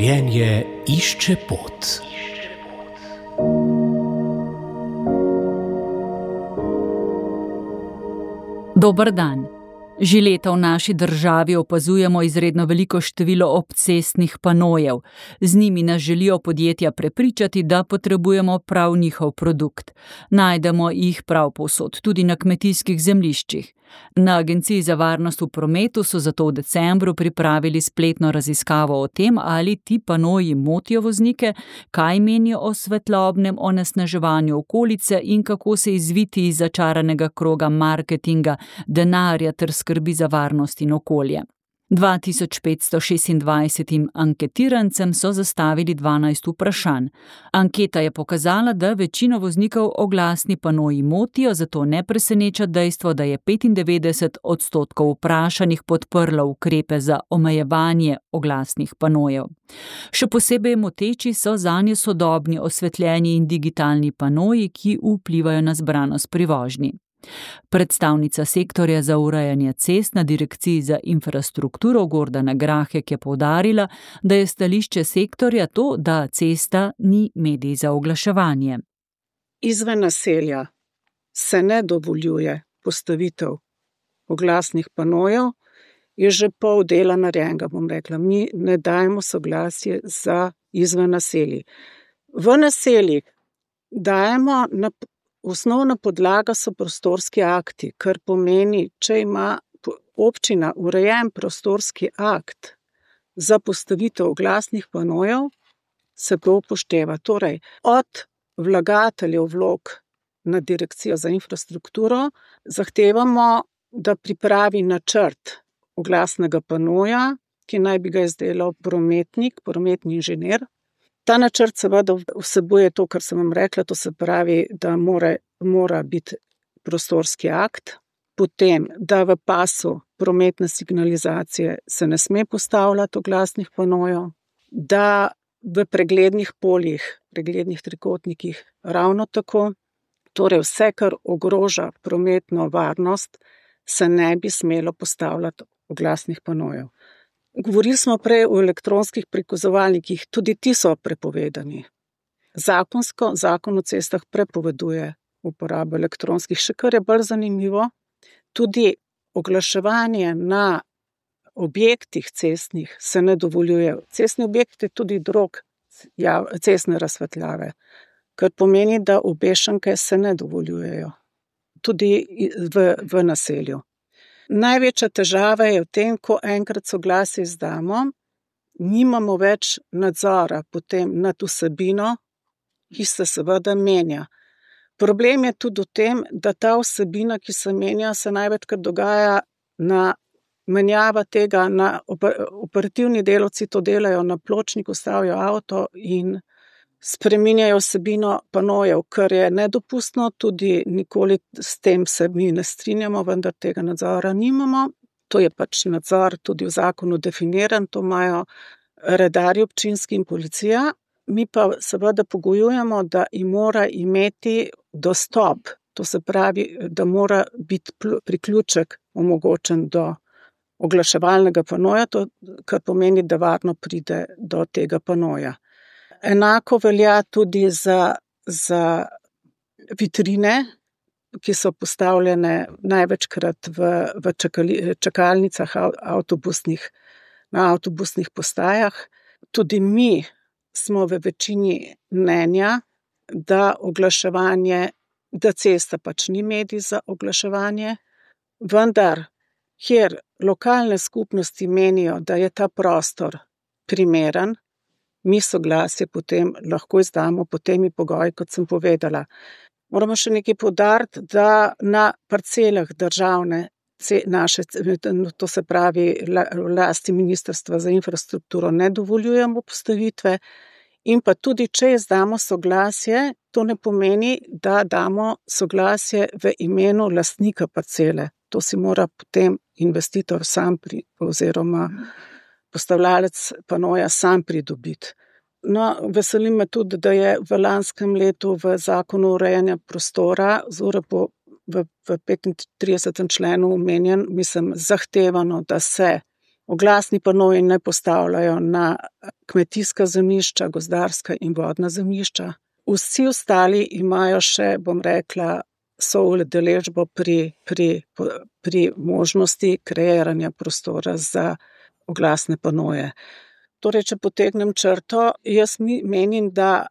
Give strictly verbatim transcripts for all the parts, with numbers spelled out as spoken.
Življenje išče pot. Dober dan. Že leta v naši državi opazujemo izredno veliko število obcestnih panojev. Z njimi nas želijo podjetja prepričati, da potrebujemo prav njihov produkt. Najdemo jih prav povsod, tudi na kmetijskih zemljiščih. Na Agenciji za varnost v prometu so zato v decembru pripravili spletno raziskavo o tem, ali ti panoji motijo voznike, kaj menijo o svetlobnem onesnaževanju okolice in kako se izviti iz začaranega kroga marketinga, denarja ter skrbi za varnost in okolje. dva tisoč petsto šestindvajsetim anketirancem so zastavili dvanajst vprašanj. Anketa je pokazala, da večino voznikov oglasni panoji motijo, zato ne preseneča dejstvo, da je petindevetdeset odstotkov vprašanih podprlo ukrepe za omejevanje oglasnih panojev. Še posebej moteči so zanje sodobni osvetljeni in digitalni panoji, ki vplivajo na zbranost pri vožnji. Predstavnica sektorja za urejanje cest na Direkciji za infrastrukturo Gordana Grahek je poudarila, da je stališče sektorja to, da cesta ni medij za oglaševanje. Izven naselja se ne dovoljuje postavitev oglasnih panojev, je že pol dela narejenega, bom rekla. Mi ne dajemo soglasje za izven naselji. V naseljih dajemo na osnovna podlaga so prostorski akti, kar pomeni, če ima občina urejen prostorski akt za postavitev oglasnih panojev, se to upošteva. Torej, od vlagateljev vlog na Direkcijo za infrastrukturo zahtevamo, da pripravi načrt oglasnega panoja, ki naj bi ga izdelal prometnik, prometni inženir. Ta načrt seveda vsebuje to, kar sem vam rekla, to se pravi, da mora, mora biti prostorski akt, potem, da v pasu prometne signalizacije se ne sme postavljati oglasnih panojev, da v preglednih poljih, preglednih trikotnikih ravno tako, torej vse, kar ogroža prometno varnost, se ne bi smelo postavljati oglasnih panojev. Govorili smo prej o elektronskih prikazovalnikih, tudi ti so prepovedani. Zakonsko, zakon o cestah prepoveduje uporabo elektronskih, še kar je bolj zanimivo, tudi oglaševanje na objektih cestnih se ne dovoljuje. Cestni objekt je tudi drog ja, cestne razsvetljave, kar pomeni, da obešanke se ne dovoljujejo, tudi v, v naselju. Največja težava je v tem, ko enkrat soglasje izdamo, nimamo več nadzora potem nad vsebino, ki se seveda menja. Problem je tudi v tem, da ta vsebina, ki se menja, se največkrat dogaja na menjava tega, na operativni delavci to delajo na pločniku, stavijo avto in spreminjajo vsebino panojev, kar je nedopustno, tudi nikoli s tem se mi ne strinjamo, vendar tega nadzora nimamo. To je pač nadzor tudi v zakonu definiran, to imajo redarji občinski in policija. Mi pa seveda pogojujemo, da jim mora imeti dostop, to se pravi, da mora biti priključek omogočen do oglaševalnega panoja, to, kar pomeni, da varno pride do tega panoja. Enako velja tudi za, za vitrine, ki so postavljene največkrat v, v čakali, čakalnicah avtobusnih, na avtobusnih postajah. Tudi mi smo v večini mnenja, da oglaševanje, da cesta pač ni medij za oglaševanje, vendar, kjer lokalne skupnosti menijo, da je ta prostor primeren, mi soglasje potem lahko izdamo pod temi pogoji, kot sem povedala. Moramo še nekaj poudariti, da na parcelah državne, naše, to se pravi lasti Ministrstva za infrastrukturo, ne dovoljujemo postavitve in pa tudi, če izdamo soglasje, to ne pomeni, da damo soglasje v imenu lastnika parcele. To si mora potem investitor sam pri, oziroma postavljalec panoja sam pridobiti. No, veseli me tudi, da je v lanskem letu v zakonu urejanja prostora, zore po v, v petintridesetem členu omenjen, mislim, zahtevano, da se Oglasni panoji ne postavljajo na kmetijska zemljišča, gozdarska in vodna zemljišča. Vsi ostali imajo še, bom rekla, soudeležbo pri, pri, pri možnosti kreiranja prostora za oglasne panoje. Torej, če potegnem črto, jaz menim, da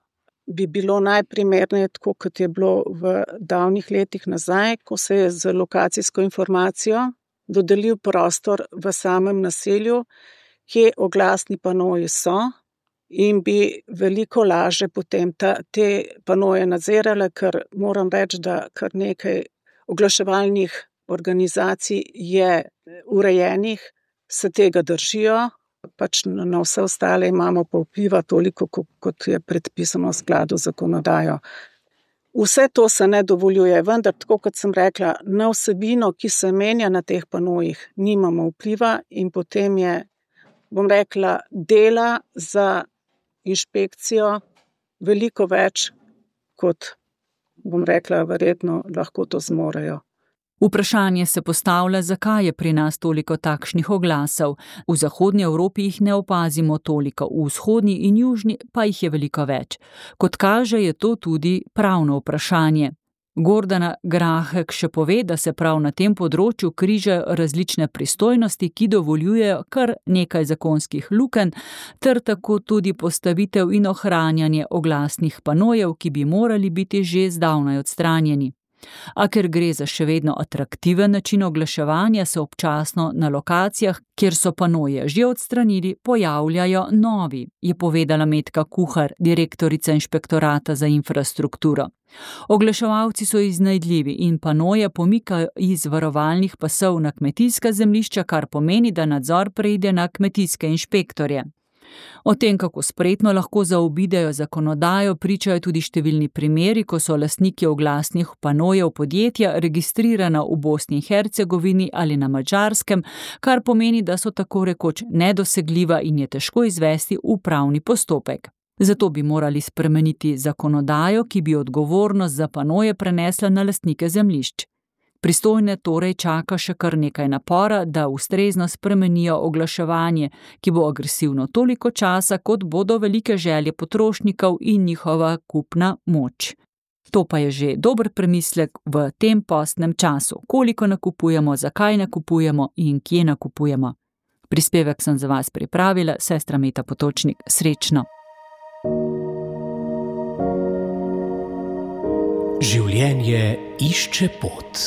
bi bilo najprimerneje tako, kot je bilo v davnih letih nazaj, ko se je z lokacijsko informacijo dodelil prostor v samem naselju, kje oglasni panoji so, in bi veliko lažje potem ta, te panoje nadzirale, ker moram reči, da kar nekaj oglaševalnih organizacij je urejenih, se tega držijo, pač na vse ostale imamo pa vpliva toliko, kot je predpisano v skladu z zakonodajo. Vse to se ne dovoljuje, vendar, tako kot sem rekla, na vsebino, ki se menja na teh panojih, nimamo vpliva in potem je, bom rekla, dela za inšpekcijo veliko več, kot, bom rekla, verjetno lahko to zmorejo. Vprašanje se postavlja, zakaj je pri nas toliko takšnih oglasov. V zahodnji Evropi jih ne opazimo toliko, v vzhodni in južni pa jih je veliko več. Kot kaže, je to tudi pravno vprašanje. Gordana Grahek še pove, da se prav na tem področju križajo različne pristojnosti, ki dovoljujejo kar nekaj zakonskih lukenj, ter tako tudi postavitev in ohranjanje oglasnih panojev, ki bi morali biti že zdavnaj odstranjeni. A ker gre za še vedno atraktiven način oglaševanja, se občasno na lokacijah, kjer so panoje že odstranili, pojavljajo novi, je povedala Metka Kuhar, direktorica Inšpektorata za infrastrukturo. Oglaševalci so iznajdljivi in panoje pomikajo iz varovalnih pasov na kmetijska zemljišča, kar pomeni, da nadzor preide na kmetijske inšpektorje. O tem, kako spretno lahko zaobidejo zakonodajo, pričajo tudi številni primeri, ko so lastniki oglasnih panojev podjetja registrirana v Bosni in Hercegovini ali na Madžarskem, kar pomeni, da so tako rekoč nedosegljiva in je težko izvesti upravni postopek. Zato bi morali spremeniti zakonodajo, ki bi odgovornost za panoje prenesla na lastnike zemljišč. Pristojne torej čaka še kar nekaj napora, da ustrezno spremenijo oglaševanje, ki bo agresivno toliko časa, kot bodo velike želje potrošnikov in njihova kupna moč. To pa je že dober premislek v tem postnem času, koliko nakupujemo, zakaj nakupujemo in kje nakupujemo. Prispevek sem za vas pripravila, sestra Meta Potočnik. Srečno! Življenje išče pot.